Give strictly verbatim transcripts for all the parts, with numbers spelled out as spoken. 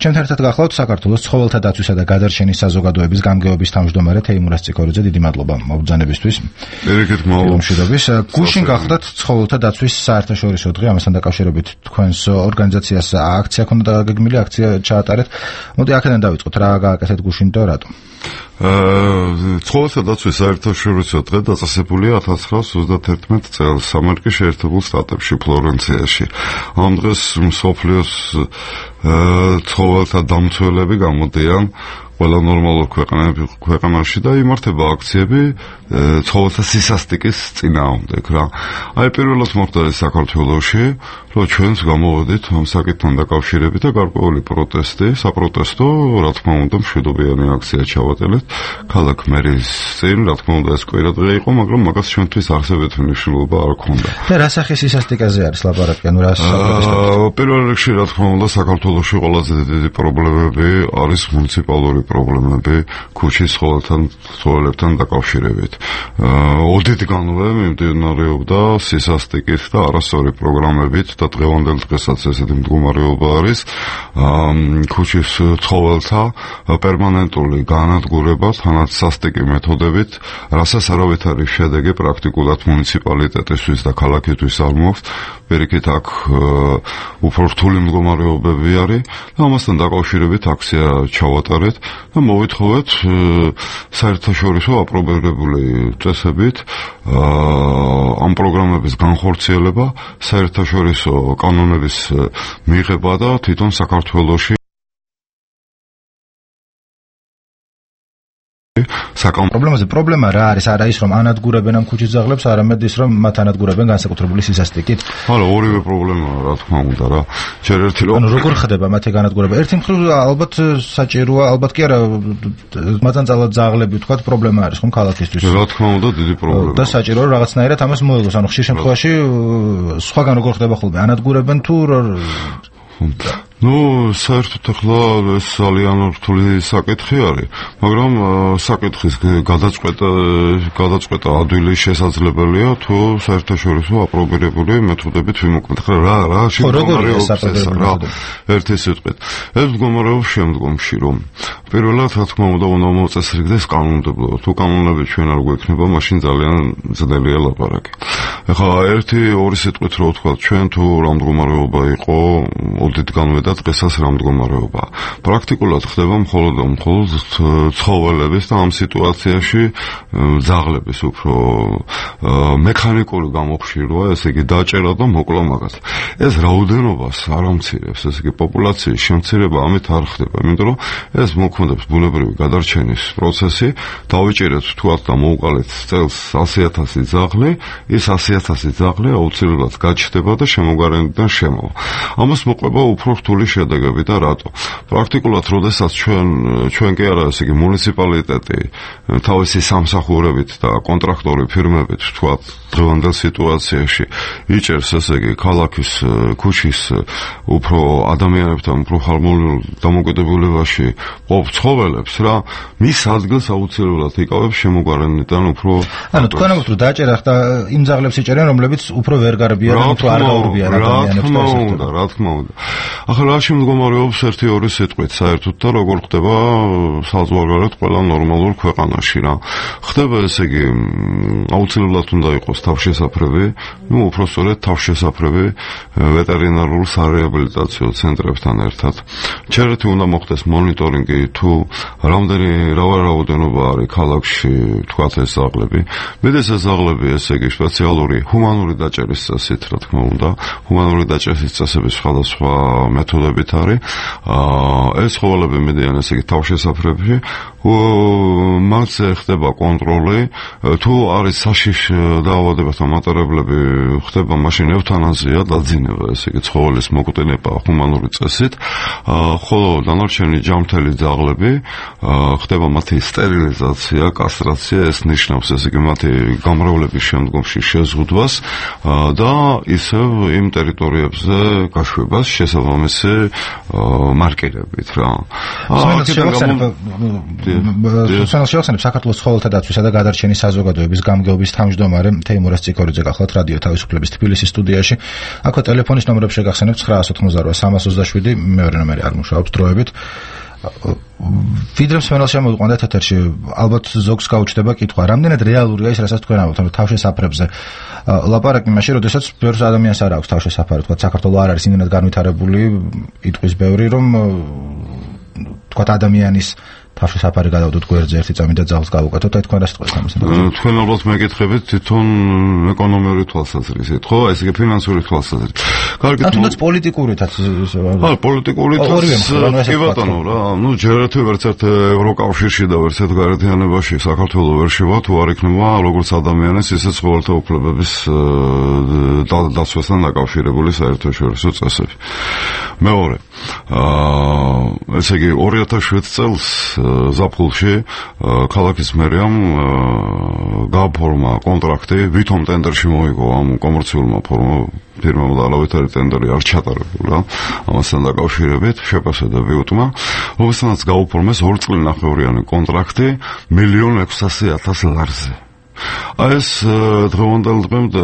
ჩემთან ერთად გახლავთ საქართველოს ცხოველთა დაცვისა და გადარჩენის საზოგადოების გამგეობის თავმჯდომარე თეიმურაზ ციკორიძე, დიდი მადლობა მობრძანებისთვის. ერიკეთ მადლობა. გუშინ გახლავთ ცხოველთა დაცვის საერთაშორისო დღე, ამასთან დაკავშირებით თქვენს ორგანიზაციას აქცია ქონდა გეგმილი, აქცია ჩაატარეთ. მოდი აქედან დავიწყოთ, რა გააკეთეთ გუშინ და რატომ? ცხოველთა დაცვის საერთაშორისო დღე დაწესებულია ათას ცხრაას ოცდაათერთმეტ წელს ამერიკის შეერთებულ შტატებში ფლორენციაში. ამ დღეს მსოფლიოს ცხოველთა დამცველები გამოდიან ყველა ნორმალურ ქვეყანაში და იმართება აქციები ცხოველთა სისასტიკის წინააღმდეგ რა. აი პირველად მოხდა ეს საქართველოში, რომ ჩვენს გამოვედით ამ საკითხთან დაკავშირებით და გარკვეული პროტესტი, საპროტესტო, რა თქმა უნდა, მშვიდობიანი აქცია ჩავატარეთ ქალაქ მერის წინ, რა თქმა უნდა, ეს კვირა დღე იყო, მაგრამ მაგას ჩვენთვის არსებითი მნიშვნელობა არ ჰქონდა. და რა სახის სისასტიკაზე არის ლაპარაკი, ანუ რა საპროტესტო? პირველ რიგში, რა თქმა უნდა, საქართველოში ყველაზე დიდი პრობლემები არის მუნიციპალური პრობლემები ქუჩის ცხოველებთან დაკავშირებით. ოდითგანვე მიმდინარეობდა სისასტიკის და არასწორი პროგრამებით და დღევანდელ დღესაც ესეთი მდგომარეობა არის ქუჩის ცხოველთა პერმანენტული განადგურება თანაც სასტიკი მეთოდებით, რასაც არავითარი შედეგი პრაქტიკულად მუნიციპალიტეტისთვის და ქალაქისთვის არ მოაქვს. პირიქით აქ უფრო რთული მდგომარეობები არის და ამასთან დაკავშირებით აქცია ჩავატარეთ და მოვითხოვეთ საერთაშორისო აპრობირებული წესებით ამ პროგრამების განხორციელება, საერთაშორისო კანონების მიღება და თვითონ საქართველოში საკამ პრობლემაზე პრობლემა რა არის? არა ის რომ ანადგურებენ ამ ქუჩის ძაღლებს, არამედ ის რომ მათ ანადგურებენ განსაკუთრებული სისასტიკით. არა, ორივე პრობლემაა, რა თქმა უნდა რა. ჯერ ერთი რომ ანუ როგორ ხდება მათი განადგურება? ერთი მხრივ ალბათ საჭიროა, ალბათ კი არა, მათანწალად ძაღლები ვთქვათ, პრობლემა არის ხომ ქალაქისთვის. რა თქმა უნდა, დიდი პრობლემაა. და საჭიროა რაღაცნაირად ამას მოიგოს, ანუ ხშირ შემთხვევაში სხვაგან როგორ ხდება ხოლმე? ანადგურებენ თუ ნუ საერთოდ ახლა ეს ძალიან რთული საკითხი არის, მაგრამ საკითხის გადაწყვეტა გადაწყვეტა ადვილი შესაძლებელია თუ საერთაშორისო აპრობირებული მეთოდებით ვიმოქმედოთ. ახლა რა რა შემდგომარეობა ერთი სიტყვით. ეს მდგომარეობა შემდგომში რომ პირველად რა თქმა უნდა უნდა მოწესრიგდეს კანონმდებლობა. თუ კანონები ჩვენ არ გვექნება, მაშინ ძალიან ძნელია ლაპარაკი. ახლა ერთი ორი სიტყვით რო ვთქვა, ჩვენ თუ რა მდგომარეობა იყო ოდითგანვე და დღესაც რა მდგომარეობა. პრაქტიკულად ხდება მხოლოდ და მხოლოდ ცხოველების და ამ სიტუაციაში ძაღლების უფრო მექანიკური გამოხშირვა, ესე იგი დაჭერა და მოკლა მაგას. ეს რაოდენობას არ ამცირებს, ესე იგი პოპულაციის შემცირება ამით არ ხდება, იმიტომ რომ ეს მოქმედებს ბუნებრივი გადარჩენის პროცესი, დავიჭერეთ თქვათ და მოვყალეთ წელს ასი ათასი ძაღლი, ის ასი ათასი ძაღლი აუცილებლად გაჩნდება და შემოგარენიდან შემოვა. ამას მოყვება უფრო რთული შედეგები და რატო? პრაქტიკულად, როდესაც ჩვენ ჩვენ კი არა, ესე იგი მუნიციპალიტეტი თავისი სამსახურებით და კონტრაქტორი ფირმებით, თქვათ, დღევანდელ სიტუაციაში იჭერს, ესე იგი, ქალაქის ქუჩის უფრო ადამიანებთან უფრო ხალხურ დამოკიდებულებაში ყოფ ცხოველებს რა, მის ადგილს აუცილებლად იკავებს შემოგარენიდან უფრო. ანუ თქვენ ამბობთ, რომ დაჭერა და იმ ძაღლებს იჭერენ, რომლებიც უფრო ვერ გარბიან, უფრო არ გაურბიან ადამიანებს და ასე და რა თქმა უნდა. ახლა რა შემდგომარეობს ერთი ორი სიტყვით საერთოდ და როგორ ხდება საზღვარგარეთ ყველა ნორმალურ ქვეყანაში რა. ხდება ესე იგი აუცილებლად უნდა იყოს თავშესაფრები, ну უფრო სწორედ თავშესაფრები ვეტერინარულ სარეაბილიტაციო ცენტრებთან ერთად. ჩერეთი უნდა მოხდეს მონიტორინგი თუ რამდენი რაოდენობა არის ქალაქში თქვათ ეს ზაღლები. მედეს ეს ზაღლები ესე იგი სპეციალური ჰუმანური დაჭერის წესით რა თქმა უნდა, ჰუმანური დაჭერის წესების სხვადასხვა მეთოდებით არის. ეს ცხოველები მიდიან ესე იგი თავშესაფრებში, მასზე ხდება კონტროლი, თუ არის საშიშ დაავადებასთან მატარებლები, ხდება მაშინ ევთანაზია, დაძინება, ესე იგი ცხოველის მოკვდინება ჰუმანური წესით, ხოლო დანარჩენი ჯამთელი ძაღლები ხდება მათი სტერილიზაცია, კასტრაცია, ეს ნიშნავს ესე იგი მათი გამრავლების შემდგომში შეზღუდვას და ისევ იმ ტერიტორიებზე გაშვებას შესაბამისი მარკირებით რა. სანამ შევახსენებ საქართველოს ცხოველთა დაცვისა და გადარჩენის საზოგადოების გამგეობის თავმჯდომარე თეიმურაზ ციკორიძე გახლავთ რადიო თავისუფლების თბილისის სტუდიაში. აქვე ტელეფონის ნომრები შეგახსენებთ ცხრაას ოთხმოცდაოთხ სამას ოცდაშვიდი, მეორე ნომერი არ მუშაობს დროებით. ვიდრე მსმენელს შემოვიყვანეთ ეთერში, ალბათ ზოგს გაუჩნდება კითხვა, რამდენად რეალურია ის, რასაც თქვენ ამბობთ, თავშესაფრებზე ლაპარაკი მაშინ, როდესაც ბევრ ადამიანს არ აქვს თავშესაფარი, თქვა საქართველოს არ არის იმენად განვითარებული, იტყვის ბევრი, რომ თქვა ადამიანის თავშესაფარი გადავდოთ გვერდზე ერთი წამი და ძალს გავუკეთოთ, აი თქვენ რა სიტყვით ამასთან? თქვენ ალბათ მეკითხებით თვითონ ეკონომიური თვალსაზრისით, ხო? ეს იგი ფინანსური თვალსაზრისით. კარგი, თუნდაც პოლიტიკურითაც ხო, პოლიტიკურითაც კი ბატონო რა, ну ჯერ ერთი ვერც ერთ ევროკავშირში და ვერც ერთ გაერთიანებაში საქართველოს ვერ შევა თუ არ იქნება როგორც ადამიანის, ისე ცხოველთა უფლებების დაცვასთან დაკავშირებული საერთაშორისო წესები. მეორე, აა ესე იგი ორი ათას შვიდ წელს ზაფხულში ქალაქის მერიამ გააფორმა კონტრაქტი, ვითომ ტენდერში მოიგო ამ კომერციულმა ფირმამ და ალავითარი ტენდერი არ ჩატარებულა ამასთან დაკავშირებით შეფასებები უტმა, რომელსაც გააფორმეს ორი წლინახევრიანი კონტრაქტი მილიონ ექვსასი ათას ლარზე. აი ეს დღევანდელ დღემდე,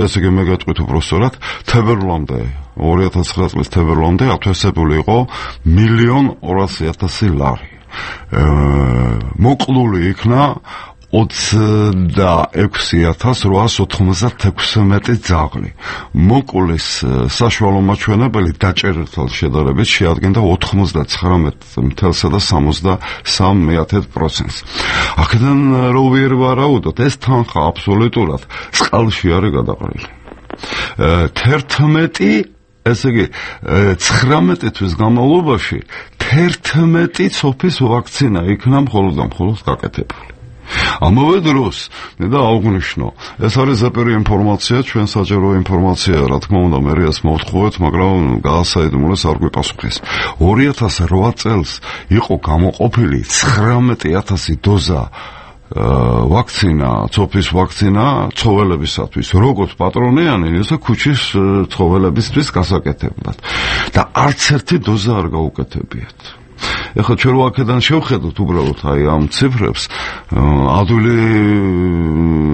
ესე იგი მე გეტყვით უბრალოდ, თებერვლამდე ორი ათას ცხრა წლის თებერვლამდე ათვისებული იყო მილიონ ორასი ათასი ლარი. მოკლული იქნა ოცდაექვსი ათას რვაას ოთხმოცდათექვსმეტი ძაღლი. მოკვლის საშუალო მაჩვენებელი დაჭერილთან შედარებით შეადგენდა ოთხმოცდაცხრამეტ წამსა და სამოცდასამ პროცენტს. აქედან რო ვერ ვარაუდოთ, ეს თანხა აბსოლუტურად წყალში არის გადაყრილი. თერთმეტი ესე იგი ცხრამეტი თვის განმავლობაში თერთმეტი ცოფის ვაქცინა იქნა მხოლოდ და მხოლოდ გაკეთებული. ამავე დროს მე და აღვნიშნო, ეს არის ზეპირი ინფორმაცია, ჩვენ საჯარო ინფორმაცია, რა თქმა უნდა, მერიას მოვთხოვეთ, მაგრამ გაასაიდუმლოს არ გვიპასუხეს. ორი ათას რვა წელს იყო გამოყოფილი ცხრამეტი ათასი დოზა ვაქცინა, ცოფის ვაქცინა ცხოველებისათვის, როგორც პატრონიანი, ისე ქუჩის ცხოველებისთვის გასაკეთებლად. და არც ერთი დოზა არ გაუკეთებიათ. ეხლა ჩვენ აქედან შევხედოთ უბრალოდ აი ამ ციფრებს, ადვილი,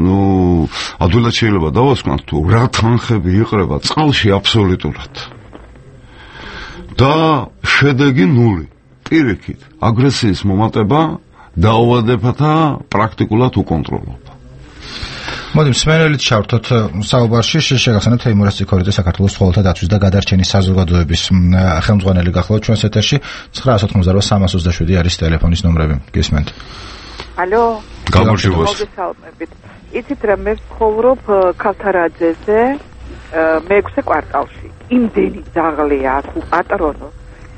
ნუ ადვილად შეიძლება დავასკვანთ თუ რა თანხები იყრება წყალში აბსოლუტურად. და შედეგი ნული. პირიქით, აგრესიის მომატება დაავადებათა პრაქტიკულად უკონტროლობა. მოდი მსმენელით ჩავთოთ საუბარში, შეგახსენებთ თეიმურაზ ციკორიძე საქართველოს ცხოველთა დაცვის და გადარჩენის საზოგადოების ხელმძღვანელი გახლავთ ჩვენს ეთერში. ცხრაას ოთხმოცდაოთხ სამას ოცდაშვიდი არის ტელეფონის ნომრები. გისმენთ. ალო. გამარჯობა. იცით რა, მე ვცხოვრობ ქავთარაძეზე, მეექვსე კვარტალში. იმდენი ძაღლია თუ პატრონო.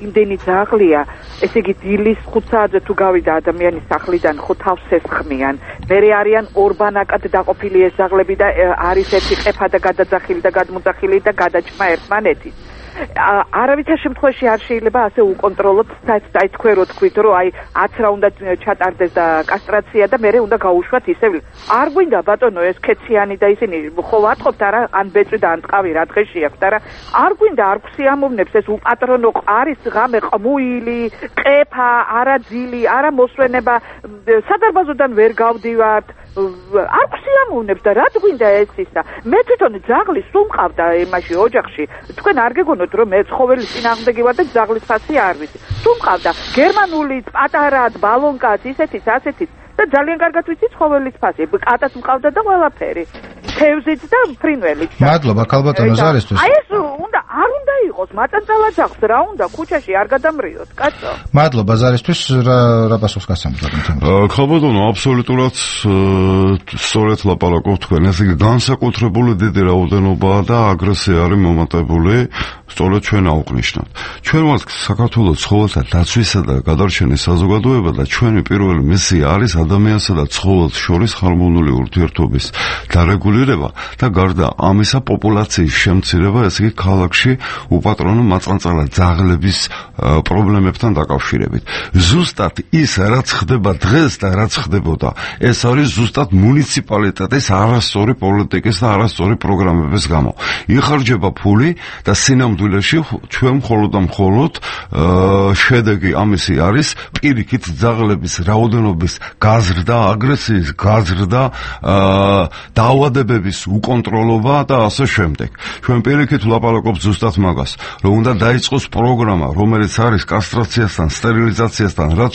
იმდენი ძაღლია, ესე იგი დილის ხუთ საათზე თუ გავიდა ადამიანის სახლიდან, ხო თავს ესხმიან. მერე არიან ორბანაკად დაყოფილი ეს ძაღლები და არის ერთი ყეფა და გადაძახილი და გადმოძახილი და გადაჭმა ერთმანეთის. არავითარ შემთხვევაში არ შეიძლება ასე უკონტროლოთ, აი თქვენ რო თქვით, რომ აი ათს რა უნდა ჩატარდეს და კასტრაცია და მერე უნდა გაუშვათ ისევ. არ გვინდა ბატონო ეს ქეციანი და ისინი ხო ვატყობთ არა, ან ბეწვი და ან ტყავი რა დღეში აქვს, არა არ გვინდა არ გვსიამოვნებს ეს უპატრონო არის ღამე ყმუილი, ყეფა, არაძილი, არა მოსვენება, სადარბაზოდან ვერ გავდივართ. არ გვსიამოვნებს და რა გვინდა ეს ისა. მე თვითონ ძაღლი სულ მყავდა იმაში ოჯახში. თქვენ არ გეგონოთ რომ მე ცხოველის წინააღმდეგი ვარ და ძაღლის ფასი არ ვიცი. სულ მყავდა გერმანულიც, პატარად, ბალონკაც, ისეთიც, ასეთიც და ძალიან კარგად ვიცი ცხოველის ფასი. კატაც მყავდა და ყველაფერი. თევზიც და ფრინველიც. მადლობა ქალბატონო ზარისთვის. აი ეს უნდა არ უნდა იყოს მაწანწალა ძაღლს, რა უნდა ქუჩაში არ გადამრიოთ, კაცო. მადლობა ზარისთვის, რა რა პასუხს გასცემთ? ქალბატონო, აბსოლუტურად სწორედ ლაპარაკობთ თქვენ. ესე იგი განსაკუთრებული დიდი რაოდენობაა და აგრესია არის მომატებული, სწორედ ჩვენ აღვნიშნოთ. ჩვენ ვართ საქართველოს ცხოველთა დაცვისა და გადარჩენის საზოგადოება და ჩვენი პირველი მისია არის ადამიანსა და ცხოველს შორის ჰარმონიული ურთიერთობის დარეგულირება და გარდა ამისა პოპულაციის შემცირება, ესე იგი ქალაქში უპატრონო მაწანწალა ძაღლების პრობლემებთან დაკავშირებით. ზუსტად ის რაც ხდება დღეს და რაც ხდებოდა, ეს არის ზუსტად მუნიციპალიტეტის არასწორი პოლიტიკის და არასწორი პროგრამების გამო. იხარჯება ფული და სინამდვილეში სინამდვილეში ჩვენ მხოლოდ და მხოლოდ შედეგი ამისი არის პირიქით ძაღლების რაოდენობის გაზრდა, აგრესიის გაზრდა, დაავადებების უკონტროლობა და ასე შემდეგ. ჩვენ პირიქით ვლაპარაკობთ ზუსტად მაგას, რომ უნდა დაიწყოს პროგრამა, რომელიც არის კასტრაციასთან, სტერილიზაციასთან, რაც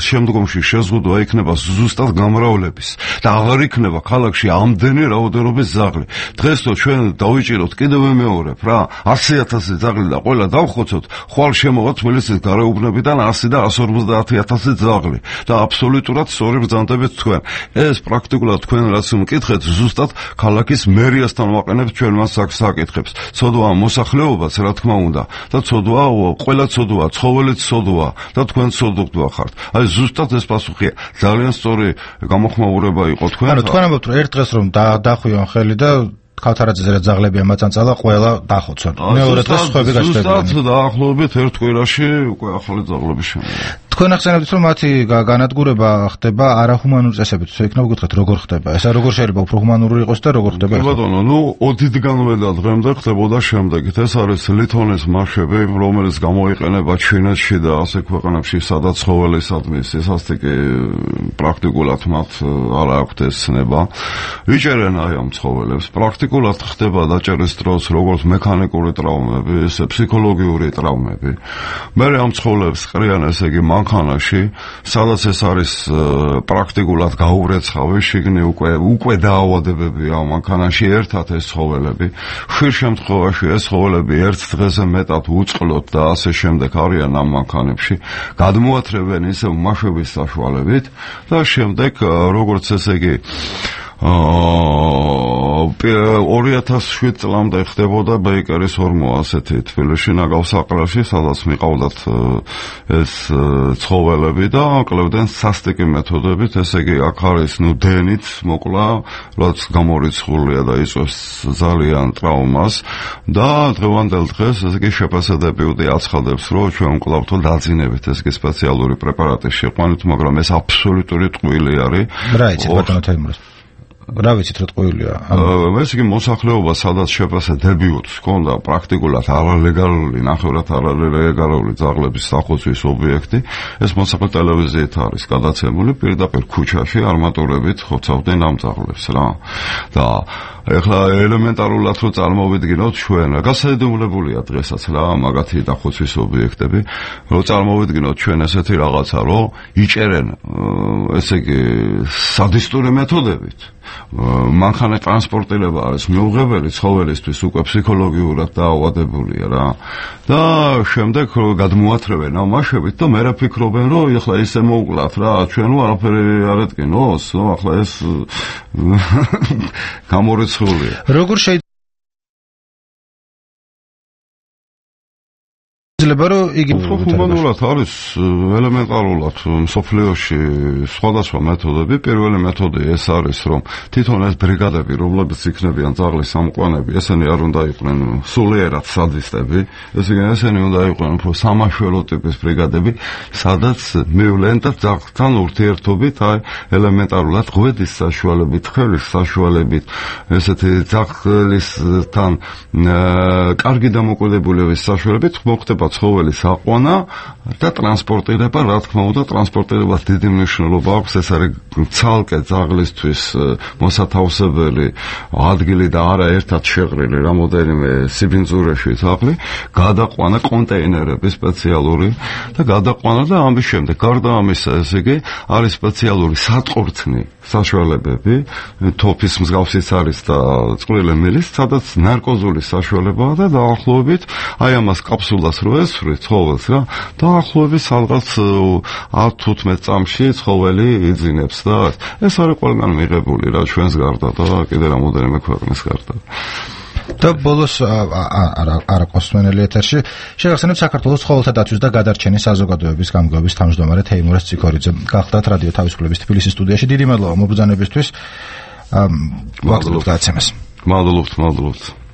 შემდგომში შეზღუდვა იქნება ზუსტად გამრავლების და აღარ იქნება ქალაქში ამდენი რაოდენობის ძაღლი. დღეს თუ ჩვენ დავიჭიროთ კიდევ მეორებ რა, ასი ათასი ძაღლი და ყველა დავხოცოთ, ხვალ შემოვა თბილისის გარეუბნებიდან ასი და ასი ორმოცდაათი ათასი ძაღლი და აბსოლუტურად სწორი ბრძანდებით თქვენ. ეს პრაქტიკულად თქვენ რაც მკითხეთ, ზუსტად ქალაქის მერიასთან ვაყენებთ ჩვენ მას საკითხებს. ცოდვაა მოსახლეობაც, რა თქმა უნდა, და ცოდვაა ყველა ცოდვაა, ცხოველიც ცოდვაა და თქვენ ცოდვაა ხართ. აი ზუსტად ეს პასუხია. ძალიან სწორი გამოხმაურება იყო თქვენ. ანუ თქვენ ამბობთ, რომ ერთ დღეს რომ დახვიონ ხელი და ქავთარაძეზე რა ძაღლები ამაწანწალა, ყველა დახოცონ. მეორე დღეს სხვები გაჩნდებიან. ზუსტად დაახლოებით ერთ კვირაში უკვე ახალი ძაღლები შემოვიდა. თქვენ ახსენებთ, რომ მათი განადგურება ხდება არაჰუმანური წესებით. იქნება გითხრათ, როგორ ხდება? ესა როგორ შეიძლება უფრო ჰუმანური იყოს და როგორ ხდება? ბატონო, ნუ ოდითგანვე და დღემდე ხდებოდა შემდეგით. ეს არის ლითონის მარშები, რომელიც გამოიყენება ჩინეთში და ასე ქვეყნებში, სადაც ცხოველისადმი სისასტიკე პრაქტიკულად მათ არ აქვთ ეს ცნება. იჭერენ აი ამ ცხოველებს. პრაქტიკულად ხდება დაჭერის დროს როგორც მექანიკური ტრავმები, ისე ფსიქოლოგიური ტრავმები. მე ამ ცხოველებს ყრიან, ესე იგი მანქანაში, სადაც ეს არის პრაქტიკულად გაურეცხავი, შიგნი უკვე უკვე დაავადებებია მანქანაში ერთად ეს ცხოველები. ხშირ შემთხვევაში ეს ცხოველები ერთ დღეზე მეტად უწყლოდ და ასე შემდეგ არიან ამ მანქანებში, გადმოათრევენ ისე მაშვების საშუალებით და შემდეგ როგორც ესე იგი ორი ათას შვიდ წლამდე ხდებოდა ბეიკერის ორმო ასეთი თბილისში ნაგავსაყრელში, სადაც მიყავდათ ეს ცხოველები და კლებდნენ სასტიკი მეთოდებით, ესე იგი აქ არის ნუ დენით მოკლა, რაც გამორიცხულია და იწვევს ძალიან ტრავმას და დღევანდელ დღეს ესე იგი შეფასებები აცხადებს, რომ ჩვენ ვკლავთ დაძინებით ეს კი სპეციალური პრეპარატი შეყვანით, მაგრამ ეს აბსოლუტური ტყუილი არის. რა იცით ბატონო თემურას? რა ვიცით რა ტყუილია? ეს იგი მოსახლეობა სადაც შეფასებებს ჰქონდა პრაქტიკულად არალეგალური, ნახევრად არალეგალური ძაღლების სახოცვის ობიექტი, ეს მოსახლე ტელევიზიით არის გადაცემული, პირდაპირ ქუჩაში არმატურებით ხოცავდნენ ამ ძაღლებს რა. და ეხლა ელემენტარულად რო წარმოვიდგინოთ ჩვენ, გასაიდუმლებულია დღესაც რა მაგათი დახოცვის ობიექტები, რო წარმოვიდგინოთ ჩვენ ესეთი რაღაცა, რომ იჭერენ ესე იგი სადისტური მეთოდებით. მანქანა ტრანსპორტირება არის მიუღებელი ცხოველისთვის უკვე ფსიქოლოგიურად დაავადებულია რა და შემდეგ გადმოათრევენ ამ მაშვებით და მე რა ფიქრობენ რომ ეხლა ისე მოუკლათ რა ჩვენ არაფერი არ ეთქინოს ნუ ახლა ეს გამორიცხულია როგორ შეიძლება შეიძლება რომ იგი ჰუმანურად არის ელემენტარულად მსოფლიოში სხვადასხვა მეთოდები. პირველი მეთოდი ეს არის, რომ თვითონ ეს ბრიგადები, რომლებიც იქნებიან ძაღლის სამყაროები, ესენი არ უნდა იყვნენ სულიერად სადისტები, ესენი უნდა იყვნენ უფრო სამაშველო ტიპის ბრიგადები, სადაც მივლენ და ძაღლთან ურთიერთობით, აი ელემენტარულად ღვედის საშუალებით, ხევის საშუალებით, ესეთი ძაღლისთან კარგი დამოკიდებულების საშუალებით მოხდება ცხოველის აყვანა და ტრანსპორტირება, რა თქმა უნდა, ტრანსპორტირებას დიდი მნიშვნელობა აქვს, ეს არის ცალკე ძაღლისთვის მოსათავსებელი ადგილი და არა ერთად შეღრილი რამოდენიმე სიბინძურეში ძაღლი, გადაყვანა კონტეინერები სპეციალური და გადაყვანა და ამის შემდეგ, გარდა ამისა, ესე იგი, არის სპეციალური სატყორცნი საშუალებები, თოფის მსგავსიც არის და წვრილი მილის, სადაც ნარკოზული საშუალებაა და დაახლოებით აი ამას კაფსულას რო ესვრით ცხოველს რა, დაახლოებით სადღაც ათ თუთხმეტ წამში ცხოველი იძინებს და ეს არის ყველგან მიღებული რა ჩვენს გარდა და კიდე რამოდენიმე ქვეყნის გარდა. და ბოლოს არა კოსმენელი ეთერში შეგახსენებთ საქართველოს ცხოველთა დაცვის და გადარჩენის საზოგადოების გამგეობის თავმჯდომარე თეიმურაზ ციქორიძე. გახდათ რადიო თავისუფლების თბილისის სტუდიაში. დიდი მადლობა მობრძანებისთვის. მადლობთ გაცემას. მადლობთ, მადლობთ.